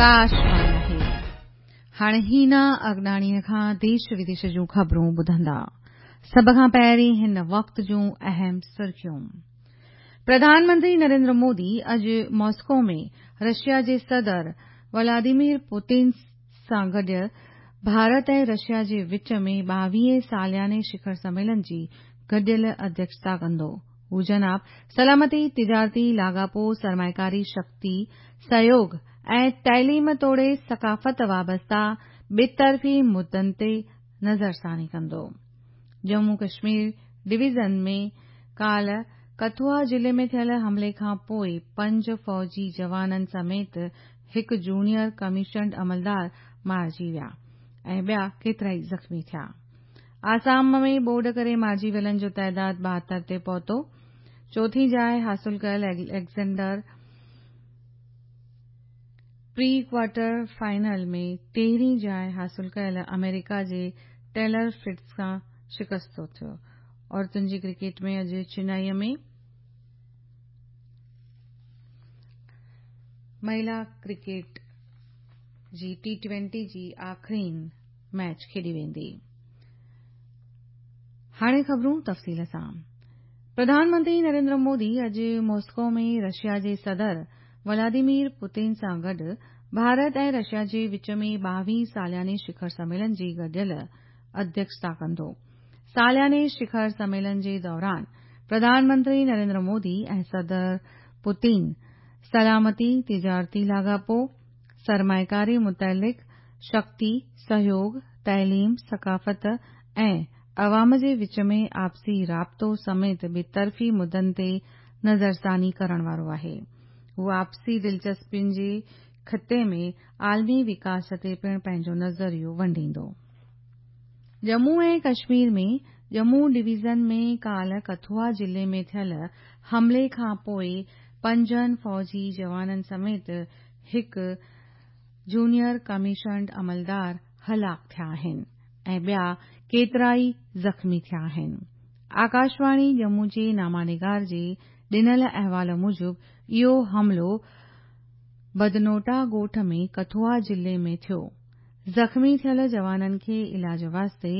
آڪاشواڻي آهي. هاڻي هينا اگناڻيء کان ديش وديش جون خبرون ٻڌندا. سڀ کان پهرين هن وقت جون اهم سرخيون. پرڌان منتري نريندر مودي اڄ ماسڪو ۾ رشيا جي صدر ولاديمير پوتين سان گڏ ڀارت ۽ رشيا جي وچ ۾ ٻاويهين سالياني شکر سميلن جي گڏيل اڌيڪشتا ڪندو. هو جناب سلامتي، تجارتي لاڳاپو، سرمائيڪاري، شڪتي، سهيوڳ ۽ تعليم توڙي ثقافت وابسته ٻطرفي مدن تي نظرثاني ڪندو. ڄمون ڪشمير ڊويزن ۾ ڪالهه ڪٿوئا ضلعي ۾ ٿيل حملي کان پوء پنج فوجي جوانن سميت هڪ جونيئر ڪميشنڊ عملدار مارجي ويا ۽ ٻيا ڪيترائي زخمي ٿيا. آسام ۾ ٻوڏ ڪري مارجي ويلن جو تعداد 72 تي پهتو. چوٿين جاء حاصل ڪيل اليگزينڊر پري ڪوارٽر فائنل ۾ تيرهين جاء حاصل ڪيل آمريڪا جي ٽيلر فرٽز کان شڪستو ٿيو. عورتن جي ڪرڪيٽ ۾ اڄ چنائي ۾ مهلا ڪرڪيٽ جي ٽي ٽوئنٽي جي آخرين ميچ کيڏي ويندي. هاڻي خبرون تفصيل سان. پرڌان منتري نريندر مودي اڄ ماسڪو ۾ رشيا جي صدر ولاديمير پوتين سان گڏ ڀارت ۽ رشيا جي وچ ۾ ٻاويهين سالياني شکر سميلن جي گڏيل اڌيڪشتا ڪندو. سالياني شکر سميلن جي دوران پرڌان منتري نريندر مودي ۽ صدر پوتين سلامتي، تجارتي لاڳاپو، سرمائيڪاري متعلق، شڪتي، سهيوڳ، تعليم، ثقافت ۽ عوام جي وچ ۾ آپسي رابطو سميت ٻطرفي مدن تي نظرثاني ڪرڻ وارو آهي. هو آپسي دلچسپين جي خطي ۾ عالمي وڪاس تي پڻ پنهنجو نظريو ونڊيندو. ڄمون ۽ ڪشمير ۾ ڄمون ڊويزن ۾ ڪالهه ڪٿوئا ضلعي ۾ ٿيل حملي کان پوء پنجن فوجي جوانن سميت هڪ جونيئر ڪميشنڊ عملدار هلاڪ ٿيا آهن ۽ ٻيا ڪيترائي زخمي ٿيا آهن. آڪاشواڻي ڄمون جي نامانگار جي ڏنل احوال موجب اهو حملو بدنوٽا ڳوٺ ۾ ڪٿوئا ضلعي ۾ ٿيو. زخمي ٿيل جوانن کي علاج واسطي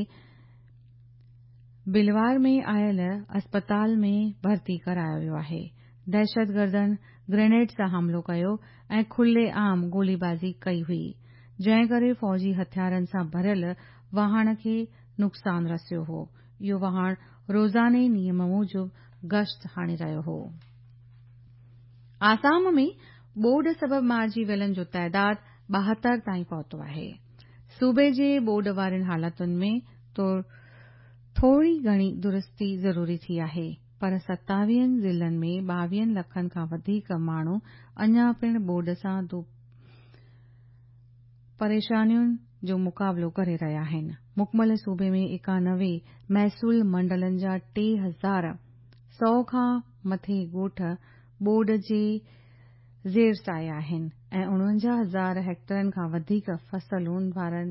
بلوار ۾ آيل اسپتال ۾ ڀرتي ڪرايو ويو آهي. دهشتگردن گرينيڊ سان حملو ڪيو ۽ کلي عام گوليبازي ڪئي هئي، جنهن ڪري فوجي هٿيارن سان ڀريل واهڻ کي نقصان رسيو هو. اهو واهڻ روزاني نيم موجب گشت هڻي رهيو هو. آسام ۾ ٻوڏ سبب مارجي ويلن جو تعداد 72 تائين پهتو آهي. صوبي جي ٻوڏ وارين حالتن ۾ ٿوري گهڻي درستي ضروري ٿي آهي پر ستاويهن ضلعن ۾ ٻاويهن لکن کان وڌيڪ ماڻهو اڃا پڻ ٻوڏ سان پريشانين جو مقابلو ڪري رهيا آهن. مڪمل صوبي ۾ 91 محصول منڊلن جا 3100 کان مٿي ڳوٺ ٻوڏ جي زير سايي آهن ۽ 49 هزار هيڪٽرن کان وڌيڪ فصلن وارن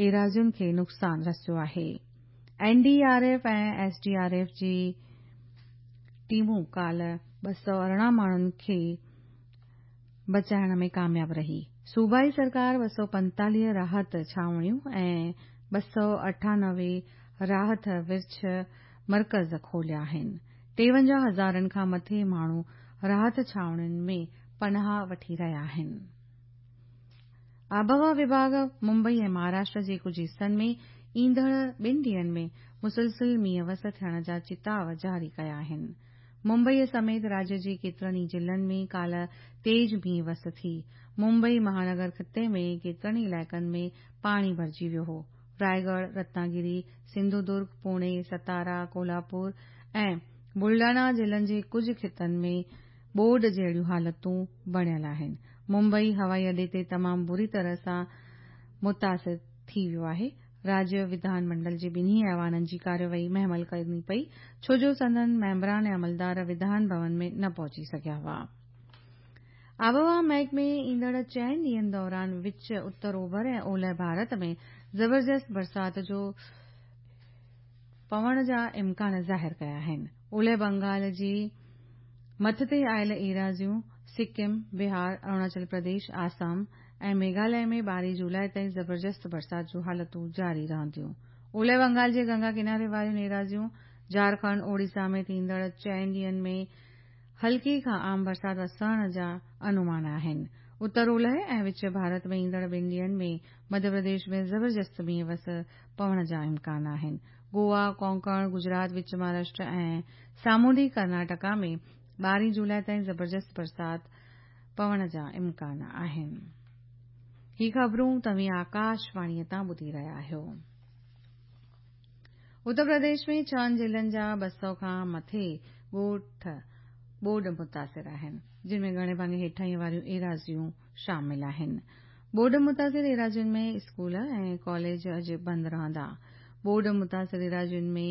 ايراضين کي نقصان رسيو آهي. N D R F ۽ S D R F جي ٽيمون ڪالهه 218 ماڻهن کي بچائڻ ۾ ڪامياب رهي. صوبائي سرڪار 245 راحت ڇانوڻيون ۽ 298 راحت ورڇ مرڪز کوليا آهن. 53 هزارن کان مٿي ماڻهو راحت ڇانوڻين ۾ پناهه وٺي رهيا آهن. آبهوا وڀاڳ ممبئي ۽ مهاراشٽر جي ڪجهه حصن ۾ ايندڙ ٻن ڏينهن ۾ مسلسل مينهن وس ٿيڻ جا چتاء جاري ڪيا آهن. ممبئي سميت راجيه جي ڪيترن ئي ضلعن ۾ ڪالهه تيز مينهن وس ٿي. ممبئي مهانگر خطي ۾ ڪيترن ئي علائقن ۾ پاڻي ڀرجي ويو هو. رائيڳڙهه، رتناگري، سنڌودرگ، پوڻي، ستارا، ڪولهاپور ۽ بلڊانا ضلعن جي ڪجهه خطن ۾ ٻوڏ جهڙيون حالتون بڻيل آهن. ممبئي هوائي اڏي تي تمام بري طرح سان متاثر ٿي ويو آهي. راجيه وڌان منڊل جي ٻنهي ايوانن جي ڪارروائي مهمل ڪرڻي پئي ڇو جو سندن ميمبران ۽ عملدار وڌان ڀون ۾ نه پهچي سگهيا هئا. آبهوا محڪمي ايندڙ چئن ڏينهن دوران وچ، اتر اوڀر ۽ اولهه ڀارت ۾ زبردست برسات جو پوڻ جا امڪان ظاهر ڪيا آهن. اولهه بنگال جي مٿتي آيل ايراضيون، سڪم، بهار، اروناچل پرديش، آسام ۽ ميگهاليه ۾ 12 جولاء تائين زبردست برسات جون حالتون جاري رهنديون. اولهه بنگال جي گنگا ڪناري واريون ايراضيون، جهارکنڊ، اوڙيسا ۾ ٿيندڙ چئن ڏينهن ۾ هلڪي کان عام برسات وسڻ جا انومان آهن. اتر اولهه ۽ وچ ڀارت ۾ ايندڙ ٻن ڏينهن ۾ مڌيه پرديش ۾ زبردست مينهن وس پوڻ جا امڪان آهن. گوا، ڪونڪڻ، گجرات، وچ مهاراشٽر ۽ سامونڊي ڪرناٽڪا ۾ 12 جولاء تائين زبردست برسات پوڻ جا امڪان آهن. هي خبرون توهين آڪاشواڻيء تان ٻڌي رهيا آهيو. اتر پرديش ۾ ڇهن ضلعن جا 200 کان مٿي ڳوٺ ٻوڏ متاثر آهن، جن ۾ گهڻي ڀاڱي هيٺاهينء واريون ايراضيون شامل آهن. ٻوڏ متاثر ايراضين ۾ اسڪول ۽ ڪاليج اڄ بند رهندا. ٻوڏ متاثر ايراضين ۾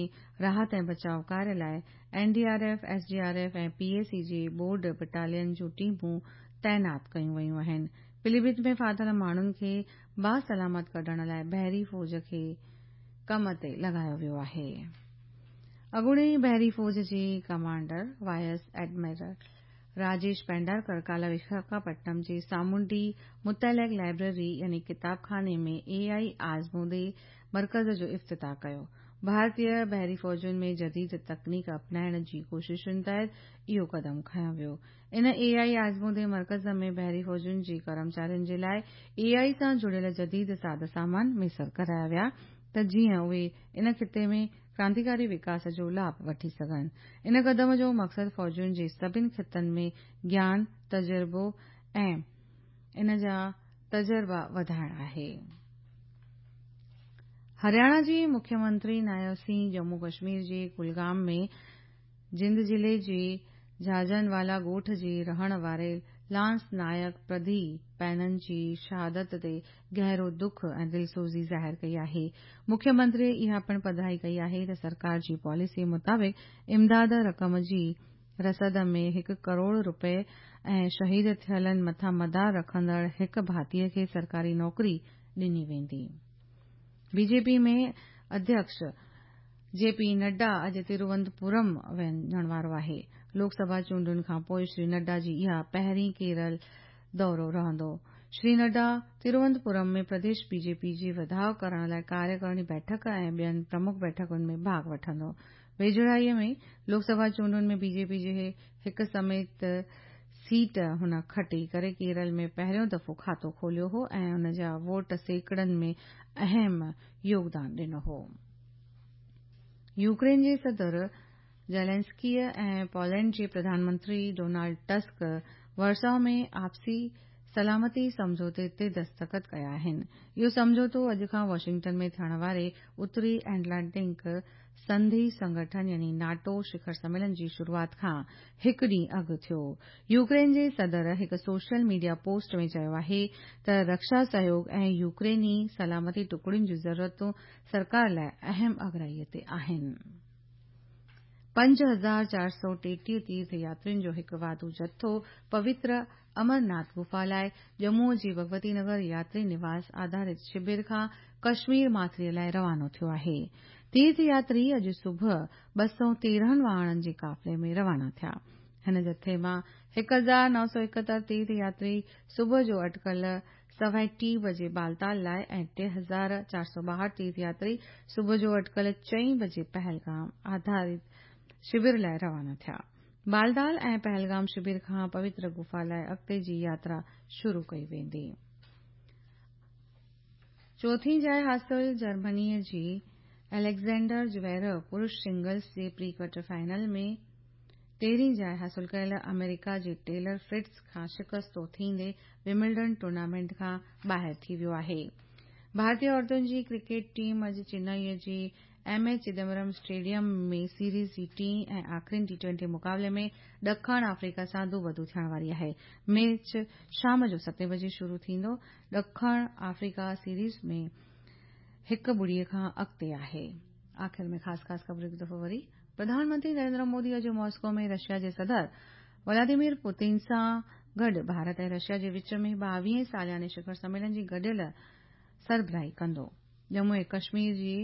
راحت ۽ بچاء ڪاريه لاء N D R F, S D R F ۽ P اي سي جي ٻوڏ بٽالين جون ٽيمون تعينات ڪيون ويون آهن. پليڀت ۾ ڦاٿل ماڻهن کي باسلامت ڪڍڻ لاء بحري فوج کي ڪم تي لڳايو ويو آهي. اڳوڻي بحري فوج جي commander vice admiral Rajesh Pendharkar ڪالهه وشاکاپٽنم جي سامونڊي متعلق لائبريري يعني ڪتاب خاني ۾ اي آء آزمودي مرڪز جو افتتاح ڪيو. ڀارتي بحري فوجن ۾ جديد تڪنيڪ اپنائڻ جي ڪوششن تحت اهو قدم کنيو ويو. ان اي آء آزمودي مرڪز ۾ بحري فوجن جي ڪرمچارين جي لاء اي آء سان جڙيل جديد ساز سامان ميسر ڪرايا ويا ته جيئن اهي ان خطي ۾ ڪرانتيڪاري وڪاس جو لاڀ وٺي سگهن. ان قدم جو مقصد فوجن جي سڀن خطن ۾ گيان، تجربو ۽ ان جا تجربا وڌائڻ آهي. هرياڻا جي مکيه منتري نايب سنگهه ڄمون ڪشمير جي ڪلگام ۾ جند ضلعي جي جهاجنوالا ڳوٺ جي رهڻ واري لانس نائڪ پرڌي پينن جي شهادت تي گهرو دک ۽ دلسوزي ظاهر ڪئي آهي. مکيه منتري اها پڻ پڌرائي ڪئي آهي ته سرڪار جي پاليسي مطابق امداد رقم جي رسد ۾ هڪ ڪروڙ روپيه ۽ شهيد ٿيلن مٿان مدار رکندڙ هڪ ڀاتيء کي سرڪاري نوڪري ڏني ويندي. بي جي پي ۾ اڌيڪش جي پي نڊا اڄ تروونتپورم وڃڻ وارو آهي. لوڪ سڀا چونڊن کانپوء شري نڊا جي اها پهرين ڪيرل دورو رهندو. شري نڊا تروونتپورم ۾ پرديش بي جي پي جي وڌاء ڪرڻ لاء ڪاريڪارڻي بيٺڪ ۽ ٻين پرمک بيٺڪن ۾ ڀاڳ وٺندو. ويجهڙائيء ۾ لوڪ سڀا چونڊن ۾ بي جي پي جي هڪ سميت سيٽ هن کٽي ڪري ڪيرل ۾ پهريون دفعو کاتو کوليو هو ۽ ان جا ووٽ سيڪڙن ۾ اهم يوگدان ڏنو هو. يوڪرين جي صدر زيلنسڪيء ۽ پولينڊ جي پرڌان منتري ڊونالڊ ٽسڪ ورساء ۾ آپسي سلامتي سمجهوتي تي دستخط ڪيا آهن. اهو سمجهوتو اڄ کان واشنگٽن ۾ ٿيڻ واري اتري ائٽلانٽڪ سنڌي سنگٺن يعني ناٽو شکر سميلن جي شروعات کان هڪ ڏينهن اڳ ٿيو. يوڪرين جي صدر هڪ سوشل ميڊيا پوسٽ ۾ چيو آهي ته رڪشا سهيوڳ ۽ يوڪريني سلامتي ٽڪڙين جون ضرورتون سرڪار لاء اهم اڳرائي تي آهن. 5433 تيرٿ ياترين جو هڪ واڌو جٿو پوتر امرناٿ گفا لاء ڄمون جي ڀڳوتي نگر ياتري نواس آڌارت شبر کان ڪشمير ماٿريء لاء روانو ٿيو آهي. تيرٿ ياتري اڄ صبح 213 واهڻن جي قافلي ۾ روانا ٿيا. هن جٿي مان 1971 تيرٿ ياتري صبح جو اٽڪل 3:15 بجي بالتال لاء ۽ 3462 تيرٿ ياتري صبح جو اٽڪل چئين بجي پهلگام آڌارت شبر لاء روانا ٿيا. بالتال ۽ پهلگام شبر کان پوتر گفا لاء اڳتي جي ياترا شروع ڪئي ويندي. چوٿين جاء حاصل جرمنيء جي اليگزينڊر زويريو پرش سنگلز جي پري ڪوارٽر فائنل ۾ تيرهين جاء حاصل ڪيل آمريڪا جي ٽيلر فرٽز کان شڪستو ٿيندي ومبلڊن ٽورنامينٽ کان ٻاهر ٿي ويو آهي. ڀارتي عورتن جي ڪرڪيٽ ٽيم اڄ چنائي جي M A Chidambaram stadium ۾ series جي ٽئين ۽ آخرين ٽي ٽوئنٽي مقابلي ۾ ڏکڻ آفريڪا سان دوبدو ٿيڻ واري آهي. ميچ شام جو ستين بجي شروع ٿيندو. ڏکڻ آفريڪا سيريز ۾ هڪ ٻڙي کان اڳتي آهي. آخر ۾ خاص خاص خبرون هڪ دفعو وري. پرڌان منتري نريندر مودي اڄ ماسڪو ۾ رشيا جي صدر ولاديمير پوتين سان گڏ ڀارت ۽ رشيا جي وچ ۾ ٻاويهين سالياني شکر سميلن جي گڏيل سربراهي ڪندو. ڄمون ۽ ڪشمير جي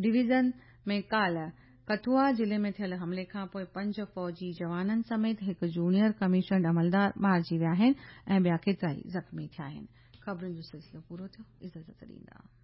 ڊويزن ۾ ڪالهه ڪٺوئا ضلعي ۾ ٿيل حملي کانپوء پنج فوجي جوانن سميت هڪ جونيئر ڪميشنڊ عملدار مارجي ويا آهن ۽ ٻيا ڪيترائي زخمي ٿيا آهن. خبرن جو سلسلو پورو ٿيو. اجازت ڏيندا.